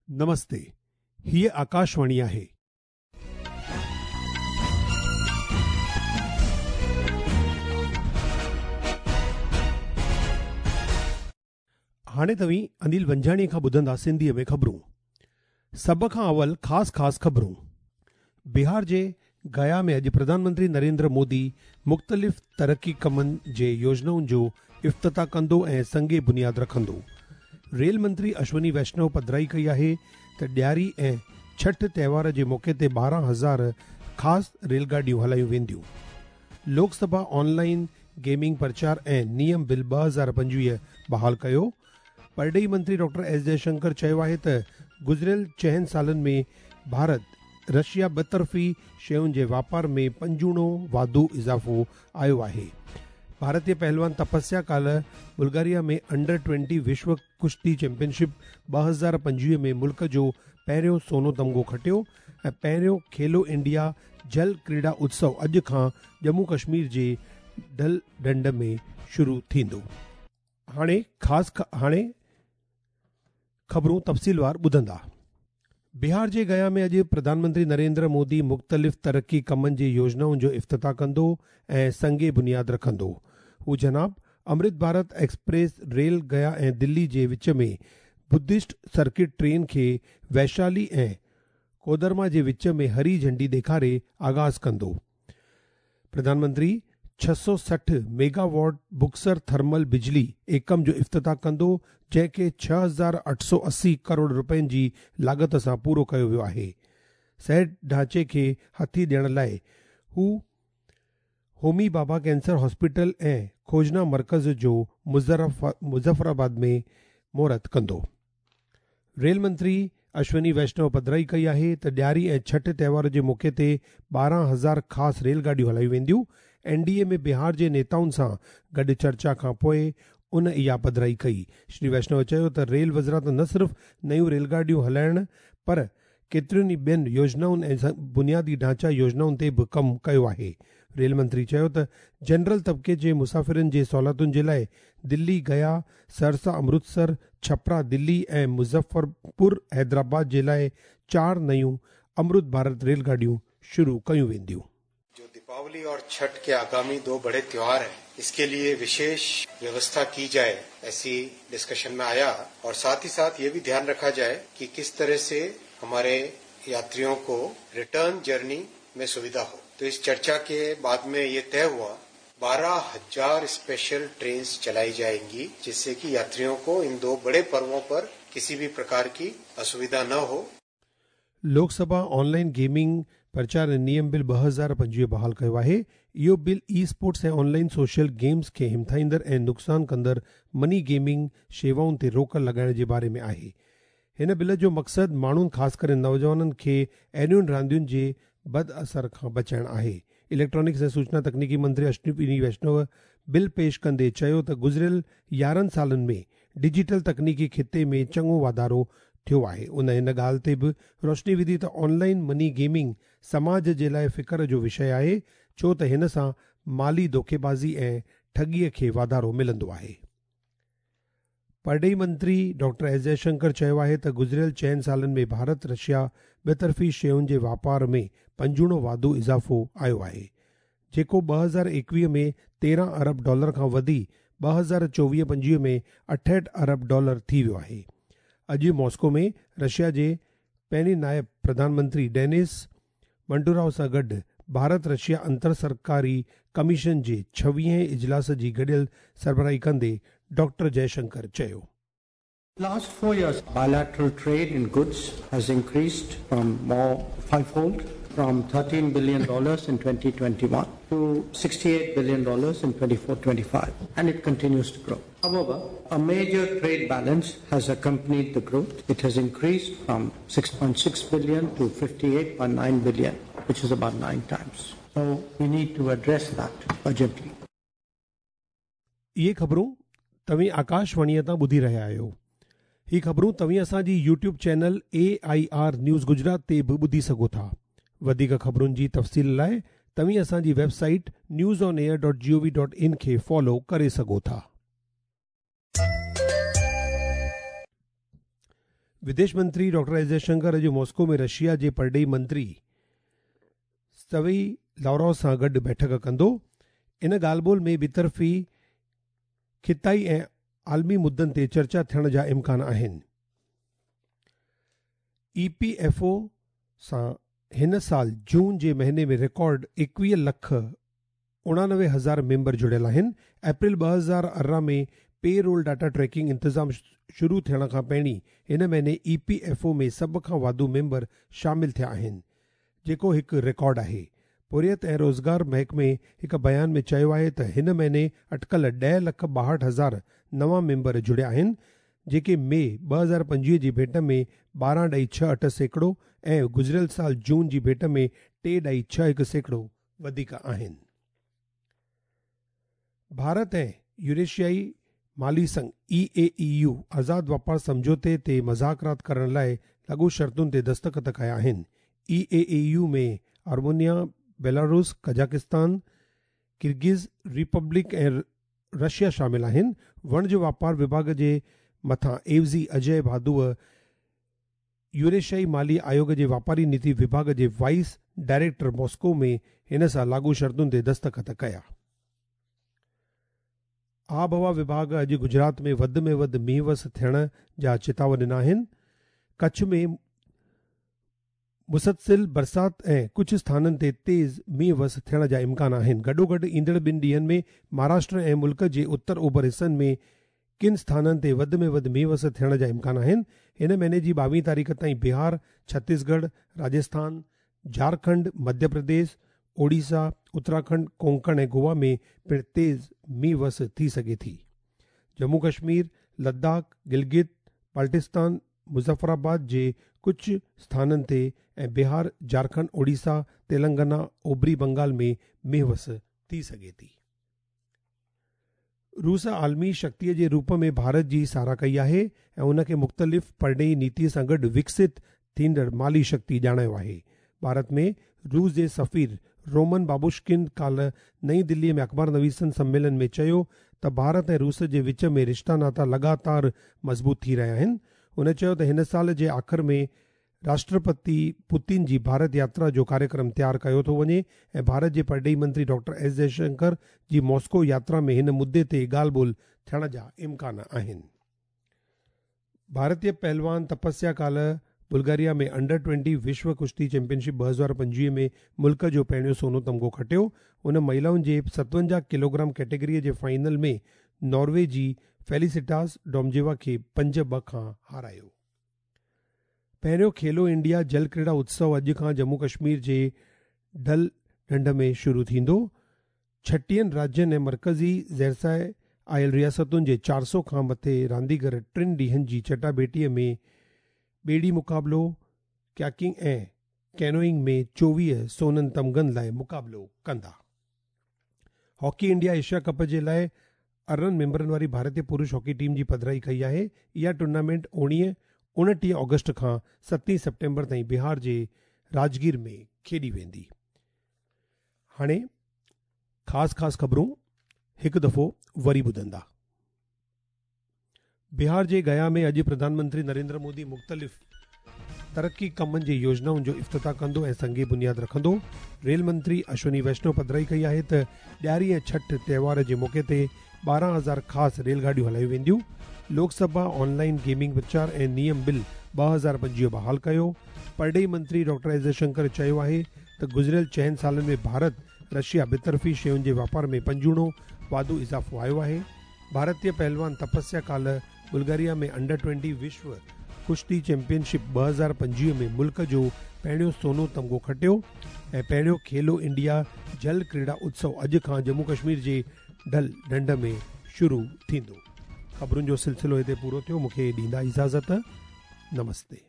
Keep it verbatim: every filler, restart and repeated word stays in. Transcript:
नमस्ते, हीअ आकाशवाणी आहे। हाणे तव्हीं अनिल वंजाणी खां ॿुधंदा सिंधीअ में ख़बरूं। सभ खां अवल ख़ासि ख़ासि ख़बरूं। बिहार जे गया में अॼु प्रधानमंत्री नरेंद्र मोदी मुख़्तलिफ़ तरक़ी कमनि जे योजनाउनि जो इफ़्तिताह कंदो ऐं संगे बुनियाद रखंदो। रेल मंत्री अश्विनी वैष्णव पधराई कई आहे त ॾियारी ऐं छठ त्योहार जे मौक़े ते ॿारहं हज़ार ख़ासि रेलगाॾियूं हलायूं वेंदियूं। लोकसभा ऑनलाइन गेमिंग प्रचार ऐं नियम बिल ॿ हज़ार पंजवीह बहाल कयो। परॾेही मंत्री डॉक्टर एस जयशंकर चयो आहे त गुज़िरियल चइनि सालनि में भारत रशिया ॿतरफ़ी शयुनि जे वापार में पंजूणो वाधू इज़ाफ़ो आयो आहे। भारतीय पहलवान तपस्या काल्ह बुल्गारिया में अंडर ट्वेंटी विश्व कुश्ती चैंपियनशिप ॿ हज़ार पंजवीह में मुल्क जो पहिरियों सोनो तमगो खटियो ऐं पहिरियों खेलो इंडिया जल क्रीड़ा उत्सव अॼु खां जम्मू कश्मीर जे डल ढंड में शुरू थींदो। हाणे ख़ासि हाणे ख़बरूं तफ़सीलवार ॿुधंदा। बिहार जे गया में अॼु प्रधानमंत्री नरेंद्र मोदी मुख़्तलिफ़ तरक़ी कमनि जे योजनाउनि जो इफ़्तिताह कंदो ऐं संगे बुनियाद रखंदो। हू जनाब अमृत भारत एक्सप्रेस रेल गया ऐं दिल्ली जे विच में बुद्धिस्ट सर्किट ट्रेन खे वैशाली ऐं कोदरमा जे विच में हरी झंडी ॾेखारे आगाज़ कंदो। प्रधानमंत्री छह सौ सठि मेगावाट बुक्सर थर्मल बिजली एकम जो इफ़्तिताह कंदो, जंहिंखे छह हज़ार अठ सौ अस्सी करोड़ रुपयनि जी लागत सां पूरो कयो वियो आहे। सेहत ढांचे खे हथी ॾियण लाइ हू होमी बाबा कैंसर हॉस्पिटल ऐं खोजना मर्कज़ जो मुज़फ़राबाद में मुहूर्त कंदो। रेल मंत्री अश्विनी वैष्णव पधराई कई आहे त ॾियारी ऐं छठ त्योहार जे मौक़े ते ॿारहं हज़ार ख़ासि रेलगाॾियूं हलायूं वेंदियूं। एन डी ए में बिहार जे नेताउनि सां गॾु चर्चा खां पोइ उन इहा पधराई कई। श्री वैष्णव चयो त रेल वज़ारत न सिर्फ़ नयूं रेलगाॾियूं हलाइण पर केतिरियुनि ई ॿियनि योजनाउनि ऐं बुनियादी ढांचा योजनाउनि ते बि कमु कयो आहे। रेल मंत्री चयो त जनरल तबिके जे मुसाफ़िरनि जे सहूलियतुनि जे लाइ दिल्ली, गया, सरसा, अमृतसर, छपरा, दिल्ली ऐं मुज़फ़रपुर हैदराबाद जे लाइ चारि नयूं अमृत भारत रेलगाॾियूं शुरू कयूं वेंदियूं। जो दीपावली और छठ के आगामी दो बड़े त्योहार हैं, इसके लिए विशेष व्यवस्था की जाए, ऐसी डिस्कशन में आया। और साथ ही साथ ये भी ध्यान रखा जाए कि किस तरह से हमारे यात्रियों को रिटर्न जर्नी में सुविधा हो। तो इस चर्चा के बाद में ये तय हुआ बारह हजार स्पेशल ट्रेन चलाई जाएंगी, जिससे कि यात्रियों को इन दो बड़े पर्वों पर किसी भी प्रकार की असुविधा न हो। लोकसभा ऑनलाइन गेमिंग प्रचार नियम बिल ॿ हज़ार पंजवीह बहाल कयो आहे। इहो बिल ई स्पोर्ट्स ऐं ऑनलाइन सोशल गेम्स खे हिमथाईंदड़ ऐं नुक़सानु कंदड़ मनी गेमिंग शेवाउनि ते रोक लॻाइण जे बारे में आहे। हिन बिल जो मक़सदु माण्हुनि ख़ासि करे नौजवाननि खे अहिड़ियुनि रांदियुनि जे बद असर खां बचाइणु आहे। इलेक्ट्रॉनिक्स ऐं सूचना तकनीकी मंत्री अश्विनी वैष्णव बिल पेश कंदे चयो त गुज़िरियल यारहं सालनि में डिजिटल तकनीकी ख़िते में चङो वाधारो थियो आहे। उन हिन ॻाल्हि ते बि रोशनी विधी त ऑनलाइन मनी गेमिंग समाज जे लाइ फ़िक्र जो विषय आहे, छो त हिन सां माली धोखेबाज़ी ऐं ठॻीअ खे वाधारो मिलंदो आहे। परॾेही मंत्री डॉक्टर एस जयशंकर चयो आहे त गुज़िरियल चइनि सालनि में भारत रशिया ॿतरफ़ी शयुनि जे वापार में पंजूणो वाधू इज़ाफ़ो आयो आहे, जेको ॿ हज़ार एकवीह में तेरहं अरब डॉलर खां वधी ॿ हज़ार चोवीह पंजवीह में अठहठि अरब डॉलर थी वियो आहे। अॼु मॉस्को में रशिया जे पहिरीं नायब प्रधानमंत्री डेनिस मंटूराव सां गॾु भारत रशिया अंतर सरकारी कमीशन जे छवीहें इजलास जी गॾियल सरबराही कंदे डॉक्टर जयशंकर चयो। Last four years, bilateral trade in goods has increased from more fivefold, from thirteen billion dollars in twenty twenty-one to sixty-eight billion dollars in twenty-four twenty-five, and it continues to grow. However, a major trade balance has accompanied the growth. It has increased from six point six billion to fifty-eight point nine billion, which is about nine times. So we need to address that urgently. इहे ख़बरूं तव्हीं आकाशवाणीअ तां ॿुधी रहिया आहियो। ही ख़बरूं तव्हीं असांजी YouTube channel A I R news Gujarat ते बि ॿुधी सघो था। वधीक ख़बरुनि जी तफ़सील लाइ तव्हीं असांजी website news on air dot G O V dot in खे फॉलो करे सघो था। विदेश मंत्री डॉक्टर एस जयशंकर अॼु मॉस्को में रशिया जे परॾेही मंत्री सर्गेई लावरोव सां गॾु बैठक कंदो। इन ॻाल्हि ॿोल में ॿितरफ़ी ख़िताई ऐं आलमी मुद्दनि ते चर्चा थियण जा इम्कान आहिनि। ई पी एफ ओ सां हिन साल जून जे महीने में रिकॉर्ड एकवीह लख उणानवे हज़ार मेंबर जुड़ियल आहिनि। अप्रैल ॿ हज़ार अरिड़हं में पे रोल डाटा ट्रैकिंग इंतज़ाम शुरू थियण खां पहिरीं हिन महीने ई पी एफ ओ में सभ खां वाधू मेंबर शामिल थिया आहिनि, जेको हिकु रिकॉर्ड आहे। पोरियत ऐं रोज़गार महकमे हिकु बयान में चयो आहे त हिन महीने अटकल ॾह लख ॿाहठि हज़ार नवां मेंबर जुड़िया आहिनि, जेके मई ॿ हज़ार पंजवीह जी भेंट में ॿारहं ॾाई छह अठ सैकड़ो ऐं गुज़िरियल साल जून जी भेंट में टे ॾाई छह हिकु सैकड़ो वधीक आहिनि। भारत ऐं यूरेशियाई माली संघ ई ए ई यू आज़ाद वापार सम्झौते ते मज़ाकरात करण लाइ लागू शर्तुनि ते दस्तख़त कया आहिनि। ई ए ई यू में Armenia, Belarus, Kazakhstan, Kyrgyz Republic ऐं रशिया शामिल आहिनि। वणिज वापार विभाग जे मथां एवज़ी अजय भादूअ यूरेशियाई माली आयोग जे वापारी नीति विभाग जे वाइस डायरेक्टर मॉस्को में हिन सां लागू शर्तुनि ते दस्तख़त कया। आबहवा विभाग अॼु गुजरात में वधि में वधि मींहुं वस थियण जा चेताव ॾिना आहिनि। कच्छ में मुसलसिल बरसात ऐं कुझु स्थाननि ते तेज़ मींहुं वस थियण जा इम्कान आहिनि। गॾोगॾु ईंदड़ ॿिनि ॾींहंनि में महाराष्ट्र ऐं मुल्क जे उत्तर ओभर हिसनि में किन स्थाननि ते वधि में वधि मींहुं वस थियण जा इम्कान आहिनि। हिन महीने जी ॿावीह तारीख़ ताईं बिहार, छत्तीसगढ़, राजस्थान, झारखंड, मध्य प्रदेश, ओडिशा, उत्तराखंड, कोंकण ऐं गोवा में पिणु तेज़ मींहुं वस थी सघे थी। जम्मू कश्मीर, लद्दाख, गिलगित बाल्टिस्तान, मुज़फ़राबाद जे कुझु स्थाननि ते ऐं बिहार, झारखंड, ओडिशा, तेलंगाना, ओभरी बंगाल में मींहुं वस थी सघे थी। रूस आलमी शक्तिअ जे रूप में भारत जी सराह कई आहे ऐं उनखे मुख़्तलिफ़ परॾेही नीतीअ सां गॾु विकसित थींदड़ माली शक्ति ॼाणायो आहे। भारत में रूस जे सफ़ीर रोमन बाबुश्किन काल्ह नई दिल्लीअ में अख़बार नवीसनि सम्मेलन में चयो त भारत ऐं रूस जे विच में रिश्ता नाता लगातार मज़बूत थी रहिया आहिनि। हुन चयो त हिन साल जे आख़िर में राष्ट्रपति पुतिन जी भारत यात्रा जो कार्यक्रम तयारु कयो थो वञे ऐं भारत जे परॾेही मंत्री डॉक्टर एस जयशंकर जी मॉस्को यात्रा में हिन मुद्दे ते ॻाल्हि ॿोल थियण जा इम्कान आहिनि। भारतीय पहलवान तपस्या काल्ह बुल्गारिया में अंडर ट्वेंटी विश्व कुश्ती चैंपियनशिप ॿ हज़ार पंजवीह में मुल्क जो पहिरियों सोनो तमगो खटियो। उन महिलाउनि जे सतवंजाह किलोग्राम कैटेगरीअ जे फाइनल में नॉर्वे जी फेलिसिटास डोमजेवा खे पंज ॿ खां हारायो। पहिरियों खेलो इंडिया जल क्रीड़ा उत्सव अॼु खां जम्मू कश्मीर जे डल ढंढ में शुरू थींदो। छटीहनि राज्यनि ऐं मर्कज़ी ज़ेरसाए आयल रियासतुनि जे चारि सौ खां मथे रांदीगर टिनि ॾींहंनि जी चटाभेटीअ में ॿेड़ी मुक़ाबिलो, कयाकिंग ऐं कैनोइंग में चोवीह सोननि तमगनि लाइ मुक़ाबिलो कंदा। हॉकी इंडिया एशिया कप जे लाइ अरिड़हं मेंबरनि वारी भारतीय पुरुष हॉकी टीम जी पधराई कई आहे। इहा टूर्नामेंट उणिवीह उणटीह ऑगस्ट खां सतवीं सेप्टेम्बर ताईं बिहार जे राजगीर में खेॾी वेंदी। हाणे ख़ासि ख़ासि ख़बरूं हिकु दफ़ो वरी ॿुधंदा। बिहार जे गया में अॼु प्रधानमंत्री नरेंद्र मोदी मुख़्तलिफ़ तरक़ी कमनि जे योजनाउनि जो इफ़्तिताह कंदो ऐं संगे बुनियाद रखंदो। रेल मंत्री अश्विनी वैष्णव पधराई कई आहे त ॾियारी ऐं छठ त्योहार जे मौक़े ते ॿारहं हज़ार ख़ासि रेलगाॾियूं हलायूं वेंदियूं। लोकसभा ऑनलाइन गेमिंग प्रचार ऐं नियम बिल ॿ हज़ार पंजवीह बहाल कयो। परॾेही मंत्री डॉक्टर एस जयशंकर चयो आहे त गुज़िरियल चइनि सालनि में भारत रशिया ॿितरफ़ी शयुनि जे वापार में पंजूणो वाधू इज़ाफ़ो आयो आहे। भारतीय पहलवान तपस्या काल्ह बुल्गारिया में अंडर ट्वेंटी विश्व कुश्ती चैंपियनशिप ॿ हज़ार पंजवीह में मुल्क जो पहिरियों सोनो तमगो खटियो ऐं पहिरियों खेलो इंडिया जल क्रीड़ा उत्सव अॼु खां जम्मू कश्मीर जे डल ढंढ में शुरू थींदो। ख़बरुनि जो सिलसिलो हिते पूरो थियो। मूंखे ॾींदा इजाज़त। नमस्ते।